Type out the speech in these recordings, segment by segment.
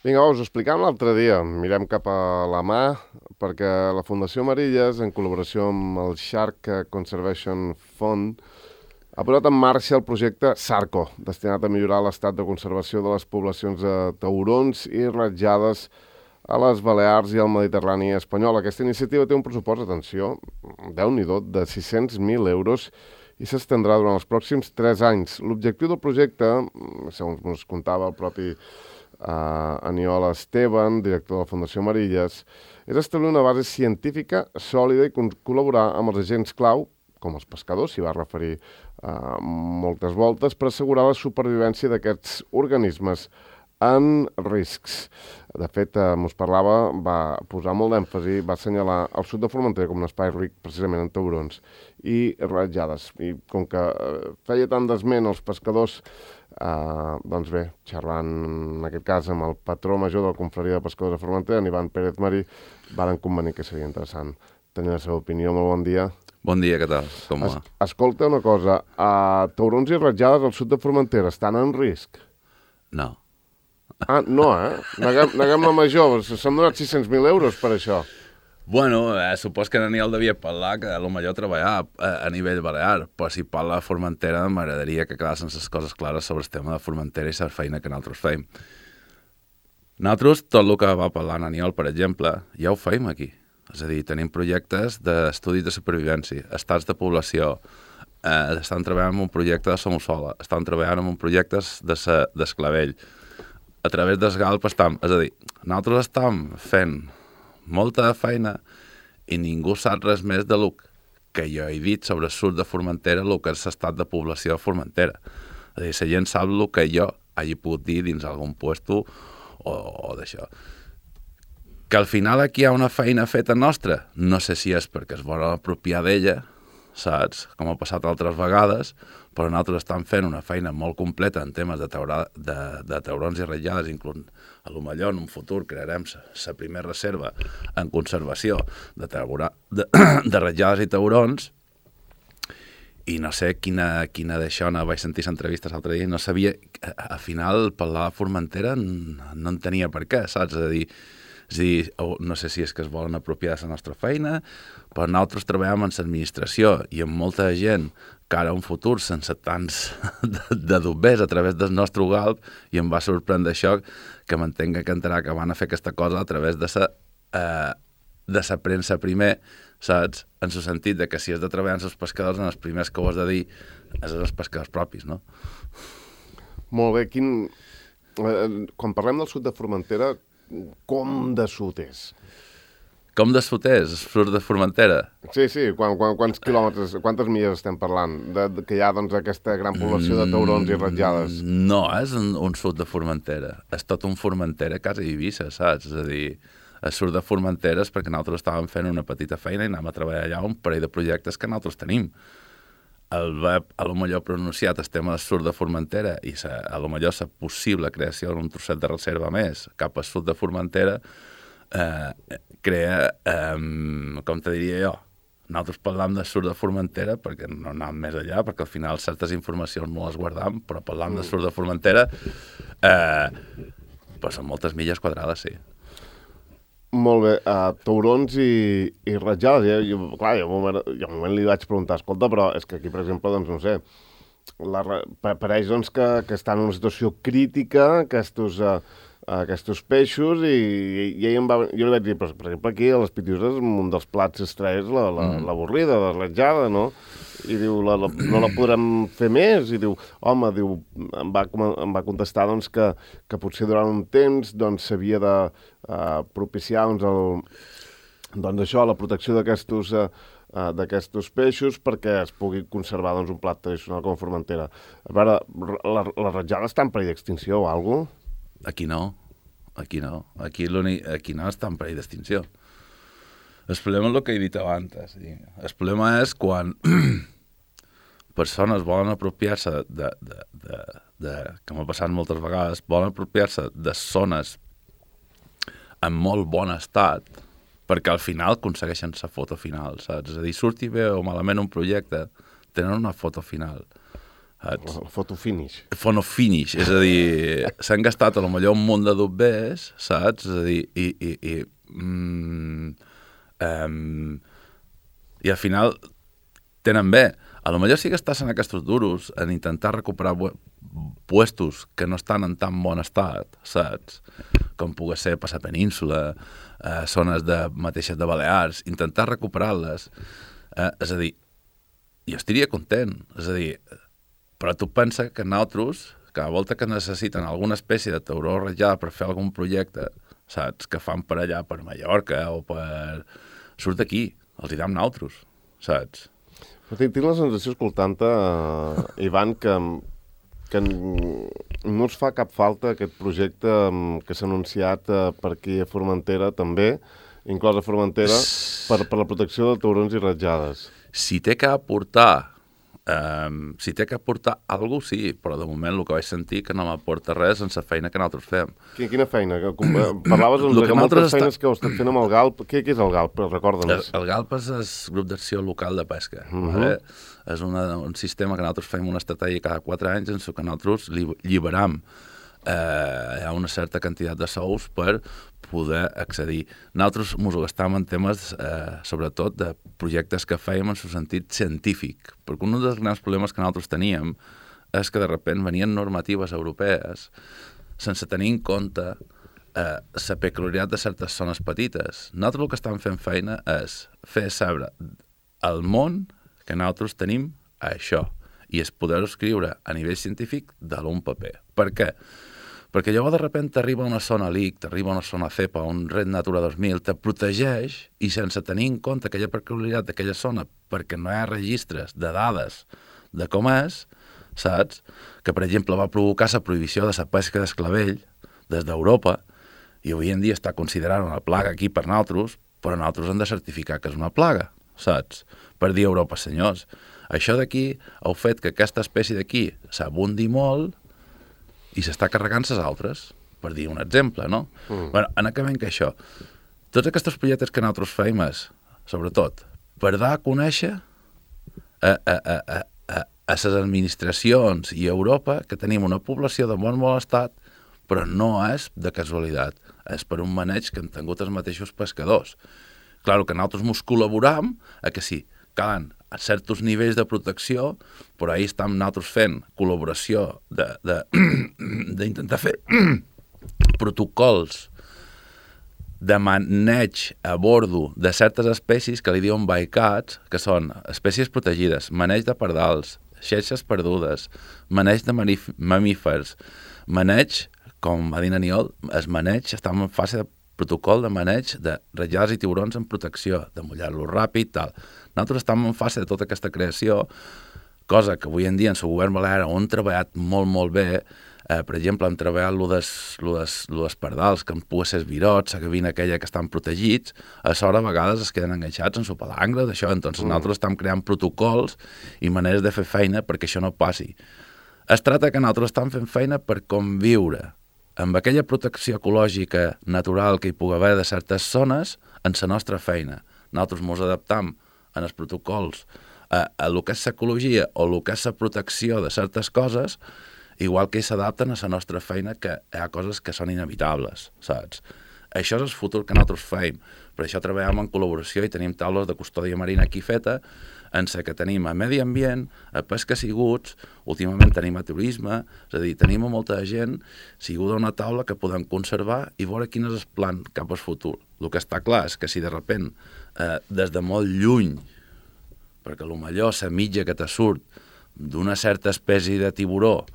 Vinga, us ho explicàvem l'altre dia. Mirem cap a la mà, perquè la Fundació Amarilles, en col·laboració amb el Shark Conservation Fund, ha posat en marxa el projecte SARCO, destinat a millorar l'estat de conservació de les poblacions de taurons i ratjades a les Balears i al Mediterrani espanyol. Aquesta iniciativa té un pressupost, atenció, Déu-n'hi-do, de 600.000 euros i s'estendrà durant els pròxims 3 anys. L'objectiu del projecte, segons ens contava el propi Aniol Esteban, director de la Fundació Amarilles, és establir una base científica sòlida i col·laborar amb els agents clau, com els pescadors, s'hi va referir moltes voltes, per assegurar la supervivència d'aquests organismes en riscs. De fet, mos parlava, va posar molt d'èmfasi, va assenyalar el sud de Formentera com un espai ric precisament en taurons i ratjades. I com que feia tant d'esment els pescadors, doncs bé, xerrant en aquest cas amb el patró major de la Confraria de Pescadors de Formentera, en Ivan Pérez Marí, varen convenir que seria interessant tenir la seva opinió. Molt bon dia. Bon dia, què tal? Com va? Escolta una cosa, taurons i ratjades al sud de Formentera estan en risc? No. No, Neguem la major, s'han donat 600.000 euros per això. Bueno, supos que Daniel devia parlar que potser treballar a nivell balear, però si parla de Formentera m'agradaria que quedassin les coses clares sobre el tema de Formentera i la feina que nosaltres feim. Nosaltres, tot el que va parlar Daniel, per exemple, ja ho feim aquí. És a dir, tenim projectes d'estudis de supervivència, estats de població, estan treballant en un projecte de Somussola, estan treballant en un projecte d'Esclavell. A través del GALP estem, és a dir, nosaltres estem fent molta feina i ningú sap res més de lo que jo he dit sobre el sud de Formentera, el que és l'estat de població de Formentera. És a dir, la gent sap el que jo hagi pogut dir dins algun puesto o d'això. Que al final aquí hi ha una feina feta nostra, no sé si és perquè es vol apropiar d'ella, saps? Com ha passat altres vegades, però nosaltres estem fent una feina molt completa en temes de taurons i ratllades, inclús a lo millor en un futur crearem la primera reserva en conservació de ratllades i taurons, i no sé quina d'això, vaig sentir l'entrevista l'altre dia i no sabia, al final parlar de Formentera no en tenia per què, saps? És a dir, no sé si és que es volen apropiar de la nostra feina, però nosaltres treballem en l'administració i amb molta gent que ara un futur sense tants de dubbers a través del nostre GALP, i em va sorprendre això que m'entenga que entrarà que van a fer aquesta cosa a través de la premsa primer, saps? En el sentit de que si has de treballar amb els pescadors, en els primers que ho has de dir és els pescadors propis, no? Molt bé, quan parlem del sud de Formentera, com de sud és? Com de sud és? El sud de Formentera? Sí, quants quilòmetres, quantes milles estem parlant? Que hi ha doncs aquesta gran població de taurons i ratllades. No, és un sud de Formentera. És tot un Formentera quasi Eivissa, saps? És a dir, el sud de Formentera és perquè nosaltres estàvem fent una petita feina i anàvem a treballar allà un parell de projectes que nosaltres tenim. El web, a lo millor pronunciat el tema del sud de Formentera i a lo millor la possible creació d'un trosset de reserva més cap al sud de Formentera crea, com te diria jo, nosaltres parlam del sud de Formentera perquè no anem més allà, perquè al final certes informacions no les guardam, però parlam del sud de Formentera però són moltes milles quadrades, sí. Molt bé, taurons i ratllades, clar, jo un moment li vaig preguntar, escolta, però és que aquí, per exemple, doncs no sé, pareix doncs, que estan en una situació crítica aquests peixos i jo li vaig dir, per exemple, aquí a les Pitiuses un dels plats estrella és l'avorrida, la ratllada, no? I diu, no la podrem fer més? I diu, home, em va contestar doncs, que potser durant un temps doncs, s'havia de propiciar doncs, això, la protecció d'aquestos peixos perquè es pugui conservar doncs, un plat tradicional com a Formentera. A veure, la ratllada està en perill d'extinció o alguna cosa? Aquí no. Aquí no està en perill d'extinció. El problema és el que he dit abans. El problema és quan persones volen apropiar-se que m'ha passat moltes vegades, volen apropiar-se de zones en molt bon estat perquè al final aconsegueixen la foto final, saps? És a dir, surti bé o malament un projecte, tenen una foto final. saps? El fotofinish. Fonofinish, és a dir, s'han gastat a lo millor un munt de dobbers, saps? És a dir, i al final tenen bé. A lo millor sí que estàs en aquests duros en intentar recuperar puestos que no estan en tan bon estat, saps? Com pugui ser per la península, zones mateixes de Balears, intentar recuperar-les. És a dir, jo estaria content. És a dir, però tu pensa que nosaltres, cada volta que necessiten alguna espècie de tauró ratllada per fer algun projecte, saps? Que fan per allà, per Mallorca o per... Surt d'aquí, els hi dam nosaltres, saps? Però tinc la sensació, escoltant-te, Ivan, que no us fa cap falta aquest projecte que s'ha anunciat per aquí a Formentera, també, inclosa Formentera, per la protecció de taurons i ratjades. Si té que aportar alguna cosa, sí, però de moment el que vaig sentir que no m'aporta res en la feina que nosaltres fem. Quina feina? Parlaves que moltes feines que heu estat fent amb el GALP. Què és el GALP? Recorda'ns. El GALP és el Grup d'Acció Local de Pesca. Vale? És un sistema que nosaltres fem una estratègia cada 4 anys en què nosaltres lliberam hi ha una certa quantitat de sous per poder accedir. Nosaltres ens ho gastàvem en temes, sobretot, de projectes que fèiem en el sentit científic, perquè un dels grans problemes que nosaltres teníem és que de sobte venien normatives europees sense tenir en compte la peculiaritat de certes zones petites. Nosaltres el que estem fent feina és fer saber al món que nosaltres tenim això, i és poder-ho escriure a nivell científic de l'un paper. Per què? Perquè llavors de sobte t'arriba una zona LIC, t'arriba una zona CEPA, un Red Natura 2000, te protegeix i sense tenir en compte aquella peculiaritat d'aquella zona, perquè no hi ha registres de dades de com és, saps? Que, per exemple, va provocar la prohibició de la pesca d'esclavell des d'Europa i avui en dia està considerada una plaga aquí per nosaltres, però nosaltres hem de certificar que és una plaga, saps? Per dir a Europa, senyors, això d'aquí ha fet que aquesta espècie d'aquí s'abundi molt i s'està carregant les altres, per dir un exemple, no? Bueno, en acabem que això, tots aquests projectes que nosaltres feim és, sobretot, per dar a conèixer a les administracions i a Europa que tenim una població de bon estat, però no és de casualitat, és per un maneig que han tingut els mateixos pescadors. Clar, que nosaltres ens col·laboram a que sí, calen a certs nivells de protecció, però ahir estem nosaltres fent col·laboració d'intentar fer protocols de maneig a bordo de certes espècies que li diuen bycatch, que són espècies protegides, maneig de pardals, xeixes perdudes, maneig de mamífers, maneig, com va dir Aniol, es maneig, estem en fase de protocol de maneig de ratllades i tiburons en protecció, de mullar-los ràpid, tal. Nosaltres estem en fase de tota aquesta creació, cosa que avui en dia en el govern balear on han treballat molt bé. Per exemple, hem treballat lo des pardals, que pugui ser virots, la gavina aquella que estan protegits, a sobre a vegades es queden enganxats en la palangre d'això, entonces nosaltres estem creant protocols i maneres de fer feina perquè això no passi. Es tracta que nosaltres estem fent feina per conviure amb aquella protecció ecològica natural que hi pugui haver de certes zones en la nostra feina. Nosaltres ens adaptam en els protocols a el que és l'ecologia o el que és la protecció de certes coses, igual que s'adapten a la nostra feina, que hi ha coses que són inevitables, saps? Això és el futur que nosaltres feim. Per això treballem en col·laboració i tenim taules de custòdia marina aquí feta, en què tenim a medi ambient, a pesca siguts, últimament tenim a turisme, és a dir, tenim a molta gent siguda una taula que podem conservar i veure quin és el plan cap al futur. El que està clar és que si de sobte, des de molt lluny, perquè potser la mitja que te surt d'una certa espècie de tiburó,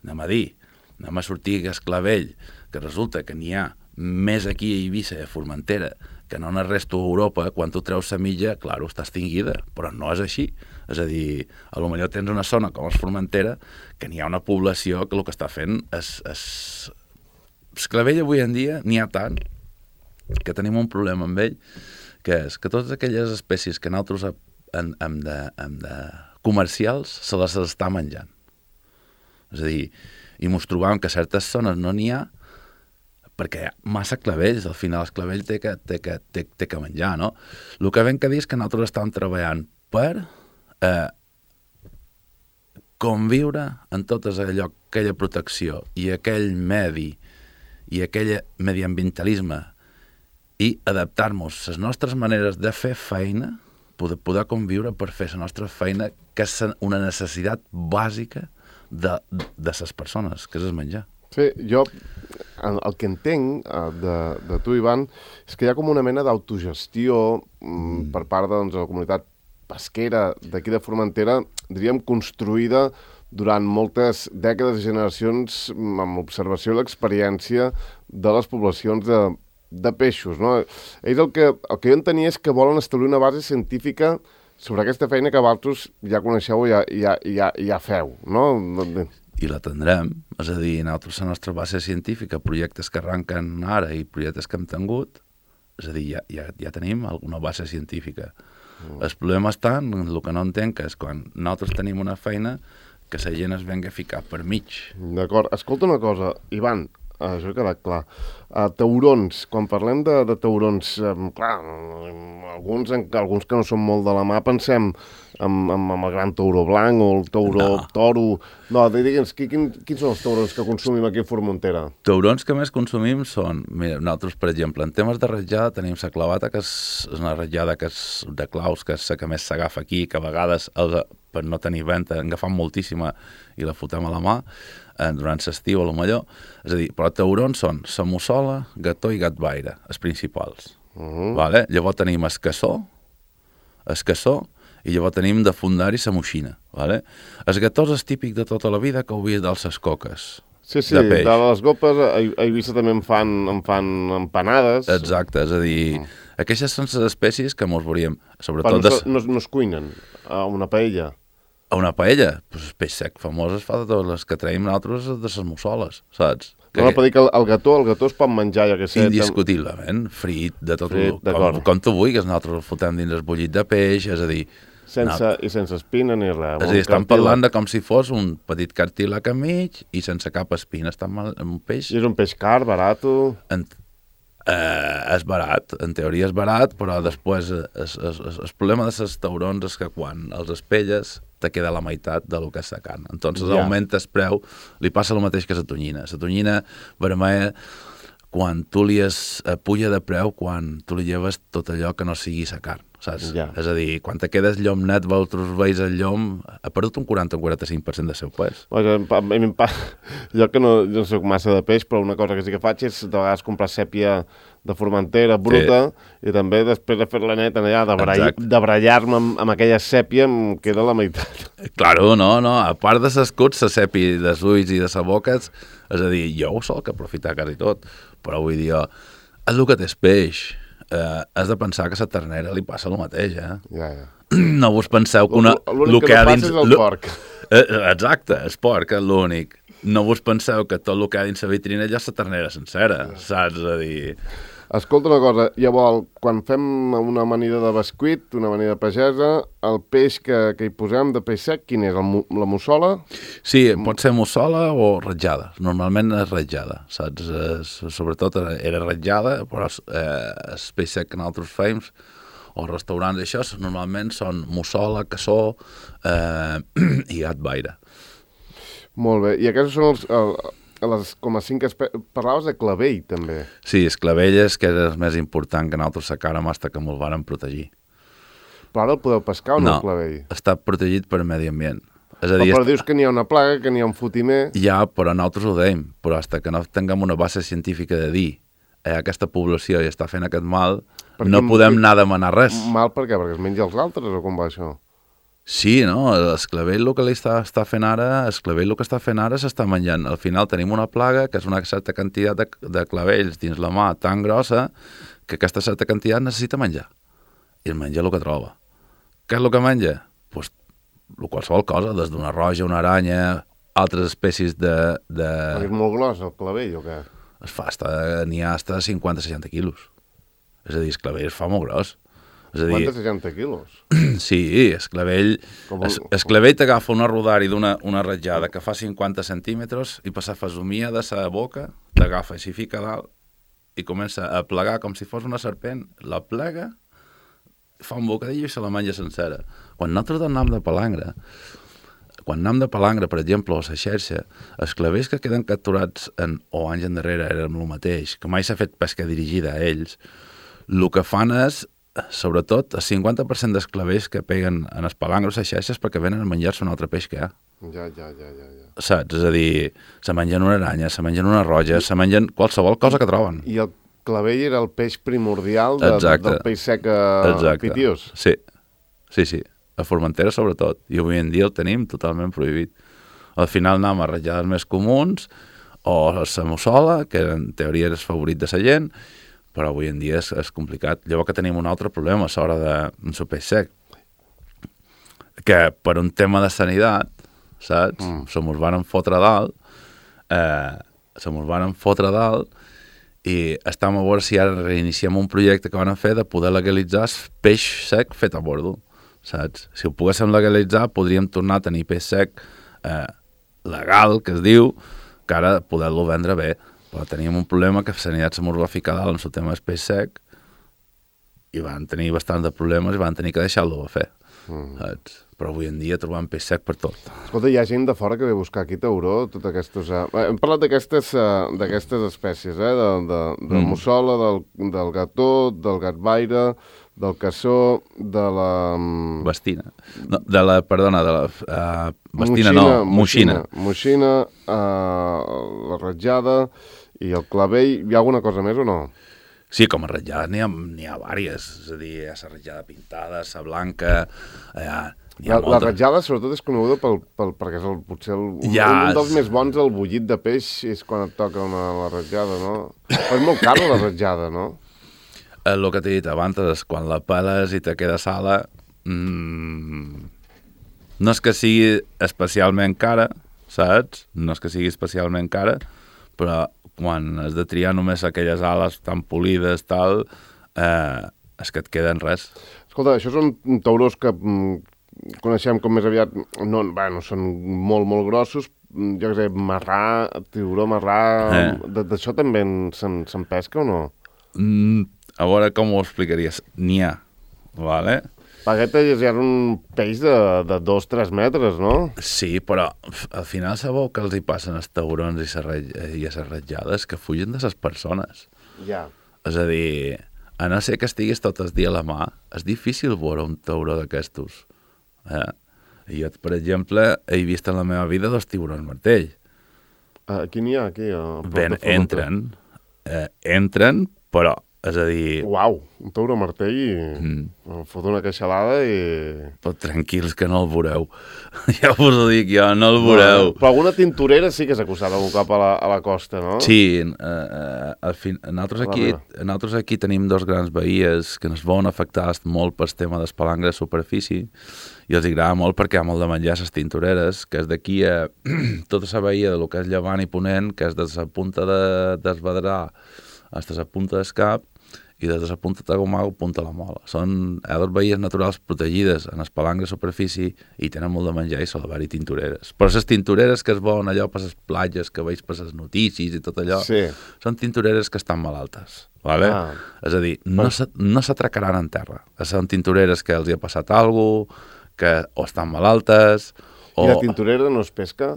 anem a dir, anem a sortir a Esclavell, que resulta que n'hi ha més aquí a Eivissa i a Formentera que no en el resto d'Europa, quan tu treus la mitja, clar, està extingida, però no és així. És a dir, potser tens una zona com és Formentera que n'hi ha una població que el que està fent és... Esclavell avui en dia n'hi ha tant que tenim un problema amb ell, que és que totes aquelles espècies que nosaltres hem de comercials se les està menjant. És a dir, i ens trobam que a certes zones no n'hi ha perquè hi ha massa clavells, al final el clavell té que menjar, no? El que vam que dir és que nosaltres estàvem treballant per conviure en tot allò, aquella protecció i aquell medi i aquell mediambientalisme i adaptar-nos les nostres maneres de fer feina, poder conviure per fer la nostra feina, que és una necessitat bàsica de les persones, que és el menjar. Sí, jo el que entenc de tu, Ivan, és que hi ha com una mena d'autogestió per part de la comunitat pesquera d'aquí de Formentera, diríem, construïda durant moltes dècades i generacions amb l'observació i l'experiència de les poblacions de peixos, no? Ells el que jo entenia és que volen establir una base científica sobre aquesta feina que vosaltres ja coneixeu i ja feu, no? I la tindrem, és a dir, nosaltres la nostra base científica, projectes que arrenquen ara i projectes que hem tingut, és a dir, ja tenim alguna base científica. El problema està en el que no entenc, que és quan nosaltres tenim una feina que la gent es venga a ficar per mig. D'acord. Escolta una cosa, Ivan, això ha quedat clar. Taurons, quan parlem de taurons, clar, alguns que no són molt de la mà, pensem amb el gran tauró blanc o el toro... No, digue'ns, quins són els taurons que consumim aquí a Formentera? Taurons que més consumim són... Mira, nosaltres, per exemple, en temes de ratjada tenim la clavata, que és una ratjada que és de claus, que és la que més s'agafa aquí, que a vegades, per no tenir venta, en agafam moltíssima i la fotem a la mà, durant l'estiu a lo millor. És a dir, però taurons són la mussola, gató i gatvaire, els principals. Vale? Llavors tenim escassó, i llavors tenim de fundari la moixina. Vale? El gató és típic de tota la vida que ho vist dels les coques. Sí, de les gopes a Eivissa també en fan empanades. Exacte, és a dir, aquestes són les espècies que mos veuríem. Però no es cuinen a una paella. A una paella? Pues el peix sec famós es fa de totes les que traiem nosaltres de les mussoles, saps? No, per dir que el gató es pot menjar, ja que sé. Indiscutiblement, frit, de tot com tu vulguis, nosaltres el fotem dins el bullit de peix, és a dir... Sense espina ni res. És a dir, estan parlant de com si fos un petit cartílag a mig i sense cap espina. Un peix... I és un peix car, barat? És barat, en teoria és barat, però després el problema de les taurons és que quan els espelles te queda la meitat del que és la carn. Entonces augmenta el preu, li passa el mateix que la tonyina. La tonyina vermella, quan tu li puja de preu, quan tu li lleves tot allò que no sigui la carn, saps? És a dir, quan te quedes llom net, vosaltres veus el llom, ha perdut un 40 o 45% del seu pes. Jo que no soc massa de peix, però una cosa que sí que faig és de vegades comprar sèpia de Formentera bruta i també després de fer-la neta allà, de barallar-me amb aquella sèpia em queda la meitat. Claro, no, a part de l'escut, la sèpia dels ulls i de la boca, és a dir, jo ho soc aprofitar quasi tot, però vull dir, és el que té el peix. Has de pensar que a la ternera li passa el mateix, Ja. No vos penseu que l'únic que no passa és el porc. Exacte, el porc és l'únic. No vos penseu que tot el que hi ha dins la vitrina ja és la ternera sencera, saps? A dir... Escolta una cosa, llavors, quan fem una amanida de bescuit, una amanida pagesa, el peix que hi posem de peix sec, quin és? La mussola? Sí, pot ser mussola o ratjada. Normalment és ratjada, saps? Sobretot era ratjada, però el peix sec que nosaltres fem, o restaurants d'això, normalment són mussola, cassó i gatvaire. Molt bé. I aquests són les com a 5 espècies... Parlaves de clavell, també. Sí, el clavell és que és el més important que nosaltres sacàrem fins que ens vàrem protegir. Però ara el podeu pescar o no, el clavell? No, està protegit per medi ambient. És a dir, però dius que n'hi ha una plaga, que n'hi ha un fotimer... Ja, però nosaltres ho deim. Però fins que no tinguem una base científica de dir aquesta població ja està fent aquest mal, no podem anar a demanar res. Mal per què? Perquè es menja els altres o com va això? Sí, no, l'esclavell el que està fent ara, s'està menjant. Al final tenim una plaga que és una certa quantitat de clavells dins la mà tan grossa que aquesta certa quantitat necessita menjar. I el menja el que troba. Què és el que menja? Pues qualsevol cosa, des d'una roja, una aranya, altres espècies de... És molt gros el clavell o què? N'hi ha hasta 50-60 quilos. És a dir, el clavell es fa molt gros. 50-60 quilos? Sí, el clavell t'agafa una rodari d'una ratjada que fa 50 centímetres i per la fesomia de la boca t'agafa i s'hi fica dalt i comença a plegar com si fos una serpent. La plega, fa un bocadillo i se la menja sencera. Quan nosaltres anàvem de palangre, quan anem de palangre, per exemple, o a la xarxa, els clavers que queden capturats o anys endarrere eren el mateix, que mai s'ha fet pesca dirigida a ells, el que fan és, sobretot, el 50% dels clavers que peguen en els palangres a les xarxes perquè venen a menjar-se un altre peix que hi ha. Ja. Saps? És a dir, se mengen una aranya, se mengen una roja, se mengen qualsevol cosa que troben. I el clavell era el peix primordial del peix sec a Pitius? Sí. A Formentera sobretot. I avui en dia el tenim totalment prohibit. Al final anem a ratllades més comuns o la mussola, que en teoria és el favorit de la gent, però avui en dia és complicat. Llavors que tenim un altre problema a l'hora de peix sec, que per un tema de sanitat, saps? Se mos van fotre dalt, i estem a veure si ara reiniciem un projecte que van fer de poder legalitzar el peix sec fet a bordo, saps? Si ho poguéssim legalitzar, podríem tornar a tenir peix sec legal, que es diu, que ara poder-lo vendre bé. Però teníem un problema que Sanitat se mos va ficar dalt en el tema del peix sec i van tenir bastants de problemes i van tenir que deixar-lo a fer, saps? Però avui en dia trobam peix sec per tot. Escolta, hi ha gent de fora que ve a buscar aquí tauró, totes aquestes... Hem parlat d'aquestes espècies, de mussola, del gató, del gatvaire, del cassó, de la... Bastina. No, perdona, de la... bastina no, moixina. Moixina, la ratjada i el clavell. Hi ha alguna cosa més o no? Sí, com a ratjada n'hi ha vàries. És a dir, hi ha la ratjada pintada, la blanca... La ratjada, sobretot, és coneguda perquè és potser un dels més bons, el bullit de peix, és quan et toca la ratjada, no? Però és molt cara la ratjada, no? El que t'he dit abans és quan la peles i te queda sala, no és que sigui especialment cara, saps? No és que sigui especialment cara, però quan has de triar només aquelles ales tan polides, tal, és que et queden res. Escolta, això són taurons que coneixem com més aviat, són molt, molt grossos, jo què sé, marrà, tiburó marrà, d'això també se'n pesca o no? A veure com ho explicaries. N'hi ha, vale? Pagueta ja és un peix de 2-3 metres, no? Sí, però al final sabeu que els hi passen els taurons i les ratjades que fugen de les persones. Ja. És a dir, a no ser que estiguis tot el dia a la mà, és difícil veure un tauró d'aquestos. Jo, per exemple, he vist en la meva vida 2 tiburons martell. Aquí n'hi ha, aquí? Entren, però, és a dir... Uau, un tauró martell i fot una queixalada i... Però tranquils que no el veureu. Ja us ho dic jo, no el veureu. Però alguna tintorera sí que s'ha acostat algun cop a la costa, no? Sí, nosaltres aquí tenim 2 grans bahies que ens veuen afectats molt pel tema del palangre de superfície i els agrada molt perquè hi ha molt de menjar les tintoreres, que és d'aquí a tota la bahia de lo que és llevant i ponent, que és de la punta d'Esbadrà fins a la punta d'Escap i des de la punta de Gomau punta a la Mola. Són 2 bahies naturals protegides en el palangre de superfície i tenen molt de menjar i sol haver-hi tintoreres. Però les tintoreres que es veuen allò per les platges, que veig per les notícies i tot allò, són tintoreres que estan malaltes. Vale? És a dir, no s'atracaran en terra. Són tintoreres que els hi ha passat alguna cosa, que o estan malaltes... I la tintorera no es pesca?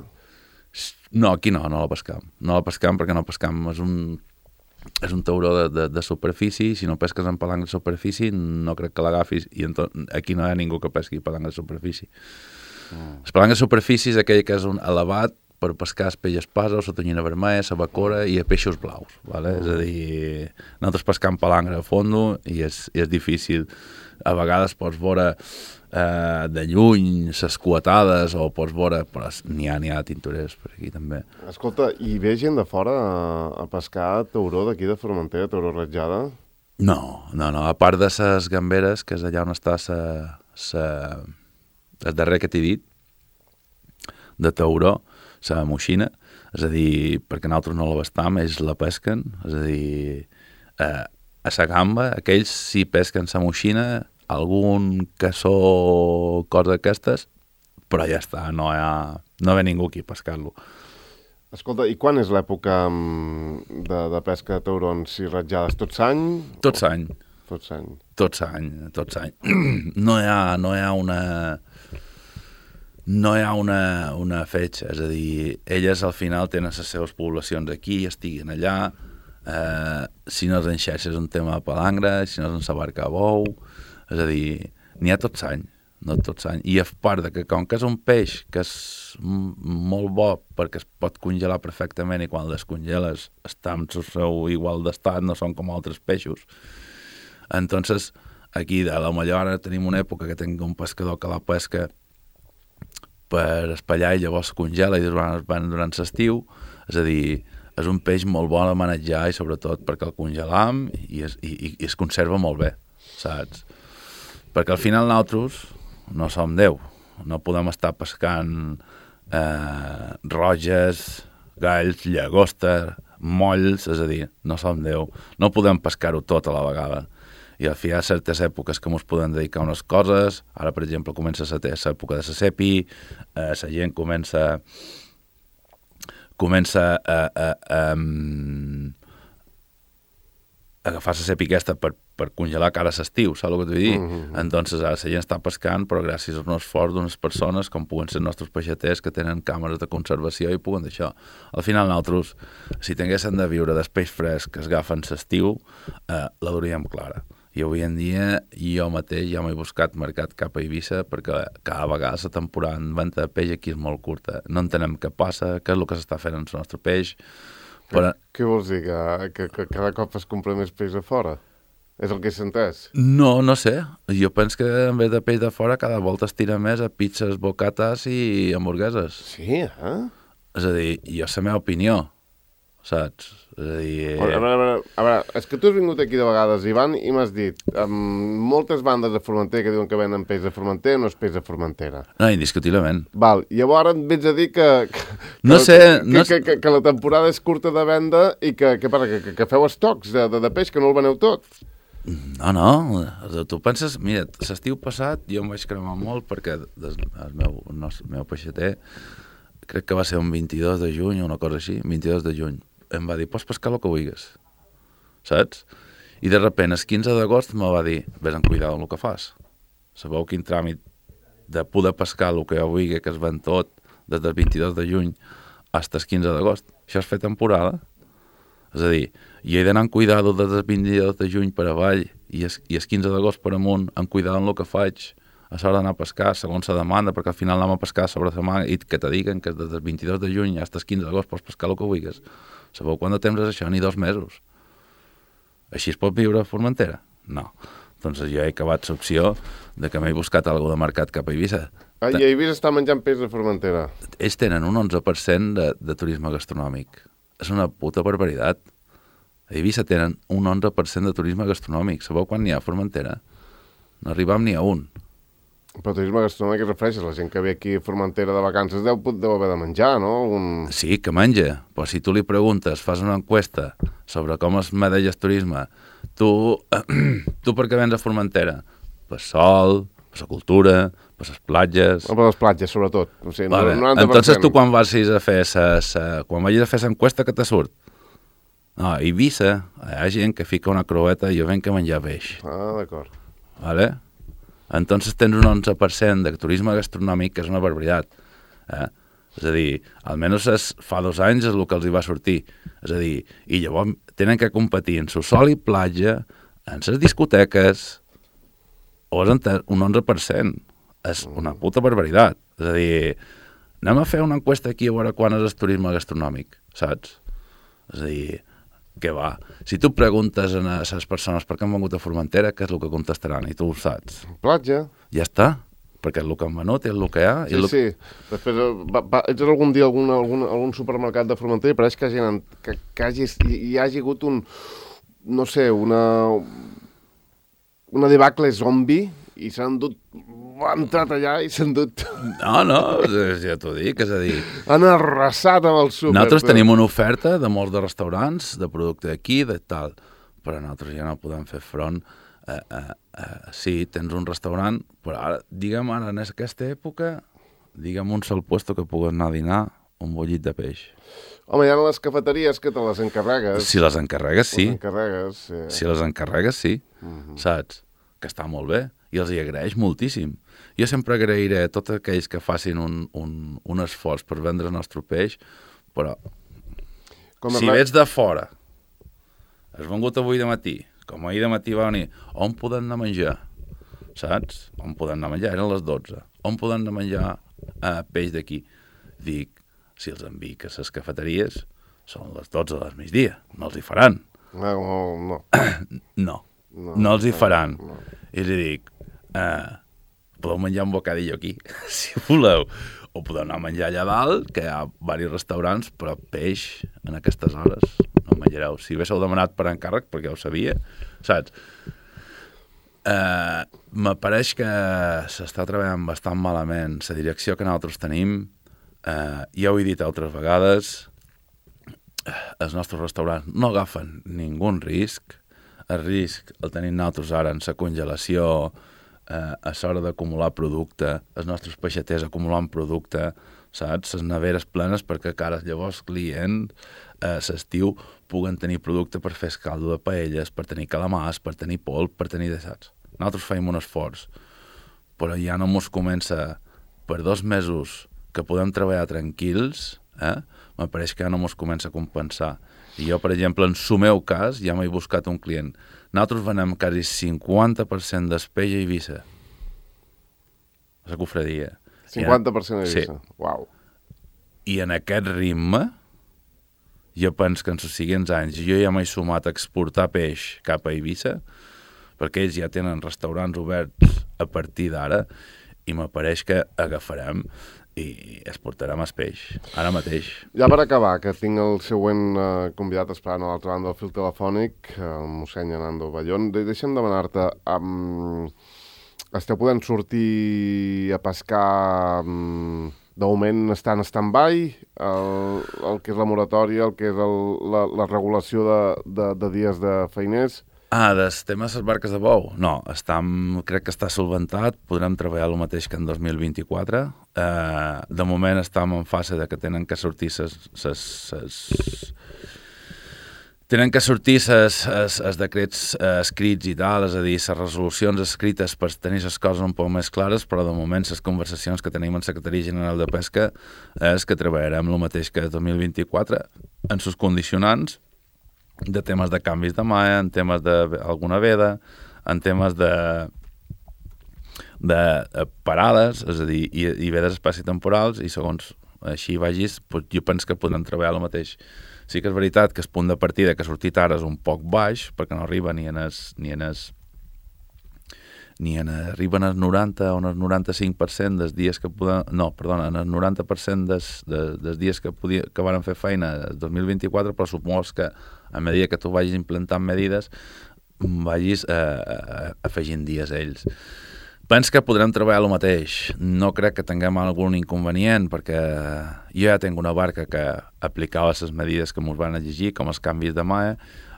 No, aquí no la pescam. No la pescam perquè no pescam. És un tauró de superfície, si no pesques en palangre de superfície no crec que l'agafis, i aquí no hi ha ningú que pesqui palangre de superfície. El palangre de superfície és aquell que és un elevat per pescar el peix espasa, la tonyina vermella, la bacora i peixos blaus. Vale? És a dir, nosaltres pescam palangre a fondo i és difícil. A vegades pots veure de lluny les cuetades o pots veure, però n'hi ha tintoreres per aquí també. Escolta, i ve gent de fora a pescar tauró d'aquí de Formentera, tauró ratjada? No, a part de les gamberes, que és allà on està el darrer que t'he dit, de tauró, la moixina, és a dir, perquè nosaltres no la bastam, ells la pesquen, és a dir, a la gamba, aquells sí pesquen la moixina, algun cassó, cosa d'aquestes, però ja està, no ve ningú aquí a pescar-lo. Escolta, i quan és l'època de pesca de taurons i ratjades? Tot l'any? Tot l'any. Tot l'any. No hi ha una... no hi ha una fetge, és a dir, elles al final tenen les seves poblacions aquí, estiguin allà, si no és en xarxa és un tema de palangre, si no és en sa barca a bou, és a dir, n'hi ha tot l'any, no tot l'any, i a part de que com que és un peix que és molt bo perquè es pot congelar perfectament i quan el descongeles està en el seu igual d'estat, no són com altres peixos. Entonces, aquí a la Mallorca tenim una època que tenim un pescador que la pesca per espallar i llavors congela i durant l'estiu, és a dir, és un peix molt bo de manejar i sobretot perquè el congelam i es conserva molt bé, saps? Perquè al final nosaltres no som Déu, no podem estar pescant roges, galls, llagosta, molls, és a dir, no som Déu, no podem pescar-ho tot a la vegada. I al final hi ha certes èpoques que ens podem dedicar a unes coses, ara per exemple comença l'època de la sepi, la gent comença a agafar la sepi aquesta per congelar cara a l'estiu, saps el que t'ho vull dir? Entonces ara la gent està pescant, però gràcies a un esforç d'unes persones com puguen ser els nostres peixaters que tenen càmeres de conservació i puguen d'això. Al final nosaltres, si tinguéssim de viure del peix fresc que es agafen l'estiu, la duríem clara. I avui en dia jo mateix ja m'he buscat mercat cap a Eivissa perquè cada vegada la temporada en venda de peix aquí és molt curta. No entenem què passa, què és el que s'està fent amb el nostre peix. Però... Què vols dir? Que cada cop es compra més peix a fora? És el que he entès? No sé. Jo penso que en vez de peix de fora cada volta es tira més a pizzas, bocates i hamburgueses. Sí, És a dir, jo és la meva opinió, saps? És a dir... A veure, és que tu has vingut aquí de vegades, Ivan, i m'has dit moltes bandes de Formentera que diuen que venen peix de Formentera, no és peix de Formentera. No, indiscutiblement. Val, llavors em vens a dir que la temporada és curta de venda i que feu estocs de peix, que no el veneu tot. No, tu penses... Mira, l'estiu passat jo em vaig cremar molt perquè el meu peixater, crec que va ser un 22 de juny o una cosa així, 22 de juny, em va dir, pots pescar el que vulguis, saps? I de repente, el 15 d'agost me va dir, vés amb cuidado amb el que fas. Sabeu quin tràmit de poder pescar el que jo vulgui, que es ven tot, des del 22 de juny fins al 15 d'agost. Això és fer temporada. És a dir, jo he d'anar amb cuidado des del 22 de juny per avall i el 15 d'agost per amunt, amb cuidado amb el que faig, a l'hora d'anar a pescar, segons la demanda, perquè al final anem a pescar sobre la setmana i que te diguen que des del 22 de juny fins al 15 d'agost pots pescar el que vulguis. Sabeu quant de temps és això? Ni 2 mesos. Així es pot viure a Formentera? No. Doncs jo he acabat l'opció de que m'he buscat alguna de mercat cap a Eivissa. I a Eivissa està menjant peix de Formentera. Ells tenen un 11% de turisme gastronòmic. És una puta barbaritat. A Eivissa tenen un 11% de turisme gastronòmic. Sabeu quan n'hi ha a Formentera? No arribam ni a un. Però turisme gastronòmic es refereix a la gent que ve aquí a Formentera de vacances deu haver de menjar, no? Sí, que menja. Però si tu li preguntes, fas una enquesta sobre com es medeix el turisme, tu per què vens a Formentera? Per sol, per la cultura, per les platges... Per les platges, sobretot. O sigui, vale. 90%. Entonces tu quan vagis a fer quan vagis a fer l'enquesta, què te surt? No, a Eivissa hi ha gent que fica una croeta i jo venc a menjar peix. D'acord. Vale? Entonces tens un 11% de turisme gastronòmic, que és una barbaritat. És a dir, almenys fa 2 anys és el que els hi va sortir. És a dir, i llavors tenen que competir en su sol i platja, en les discoteques, o és un 11%. És una puta barbaritat. És a dir, anem a fer una enquesta aquí a veure quan és el turisme gastronòmic, saps? És a dir, què va? Si tu preguntes a les persones per què han vengut a Formentera, què és el que contestaran? I tu ho saps. Platja. Ja està, perquè és el que han venut, és el que hi ha. Sí. Després ets algun dia algun supermercat de Formentera i pareix que hi hagi hagut no sé, una debacle zombi i s'han dut... Han entrat allà i s'han dut... No, ja t'ho dic, és a dir... Han arrasat amb el súper. Nosaltres tenim una oferta de molts de restaurants, de producte d'aquí, de tal, però nosaltres ja no podem fer front. Sí, tens un restaurant, però ara, digue'm ara, en aquesta època, digue'm un sol puesto que pugues anar a dinar, un bullit de peix. Home, hi ha les cafeteries que te les encarregues. Si les encarregues, sí. Les encarregues, sí. Si les encarregues, sí, saps? Que està molt bé. i els hi agraeix moltíssim. Jo sempre agrairé a tots aquells que facin un esforç per vendre el nostre peix, però si vets de fora, has vengut avui de matí, com ahir de matí va venir, on podem anar a menjar? Saps? On podem anar a menjar? Eren les 12. On podem anar a menjar peix d'aquí? Dic, si els envic a les cafeteries, són les 12 del migdia, no els hi faran. No els hi faran. I li dic, podeu menjar un bocadillo aquí, si voleu. O podeu anar a menjar allà dalt, que hi ha diversos restaurants, però peix en aquestes hores no menjareu. Si haguéssiu demanat per encàrrec, perquè ho sabia, saps? M'apareix que s'està treballant bastant malament. La direcció que nosaltres tenim, ja ho he dit altres vegades, els nostres restaurants no agafen ningú risc. El risc el tenim nosaltres ara en la congelació, a l'hora d'acumular producte, els nostres peixaters acumulant producte, saps? Les neveres plenes perquè cares llavors clients a l'estiu puguen tenir producte per fer caldo de paelles, per tenir calamars, per tenir polp, per tenir de saps. Nosaltres feim un esforç, però ja no mos comença per 2 mesos que podem treballar tranquils, m'apareix que ja no mos comença a compensar. I jo, per exemple, en el meu cas, ja m'he buscat un client. Nosaltres venem quasi 50% d'espeix a Eivissa. A la cofradia. 50% a Eivissa? Sí. Uau. I en aquest ritme, jo penso que en els següents anys jo ja m'he sumat a exportar peix cap a Eivissa, perquè ells ja tenen restaurants oberts a partir d'ara, i m'apareix que agafarem i exportarem el peix, ara mateix. Ja per acabar, que tinc el següent convidat esperant a l'altra banda del fil telefònic, el mossèn Hernando Ballón. Deixa'm demanar-te, esteu podent sortir a pescar, de moment està en stand-by, el que és la moratòria, el que és la regulació de dies de feiners? Del tema de les barques de bou? No, crec que està solventat, podrem treballar el mateix que en 2024. De moment estem en fase de que tenen que sortir els decrets escrits i tal, és a dir, les resolucions escrites per tenir les coses un poc més clares, però de moment les conversacions que tenim en Secretaria General de Pesca és que treballarem el mateix que 2024 en els condicionants de temes de canvis de malla, en temes d'alguna veda, en temes de parades, és a dir, i vedes espaciotemporals, i segons així vagis, jo penso que podrem treballar el mateix. Sí que és veritat que el punt de partida que ha sortit ara és un poc baix, perquè no arriba arriben al 90 o al 95% dels dies que podem... No, perdona, en el 90% dels dies que van fer feina el 2024, però supos que a mesura que tu vagis implantant medides vagis afegint dies a ells. Penso que podrem treballar el mateix. No crec que tinguem algun inconvenient, perquè jo ja tinc una barca que aplicava les medides que ens van exigir, com els canvis de malla.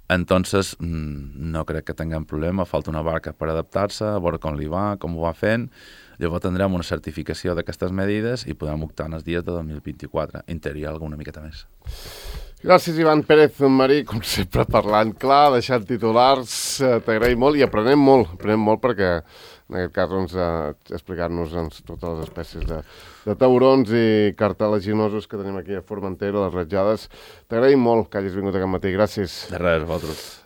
Entonces, no crec que tinguem problema, falta una barca per adaptar-se, a veure com li va, com ho va fent. Llavors tindrem una certificació d'aquestes medides i podrem optar en els dies de 2024. Interior alguna miqueta més. Gràcies, Ivan Pérez Marí, com sempre parlant clar, deixant titulars, t'agraïm molt i aprenem molt perquè en aquest cas doncs, explicar-nos totes les espècies de taurons i cartilaginosos que tenim aquí a Formentera, les ratjades. T'agraïm molt que hagis vingut aquest matí, gràcies. De res, vosaltres.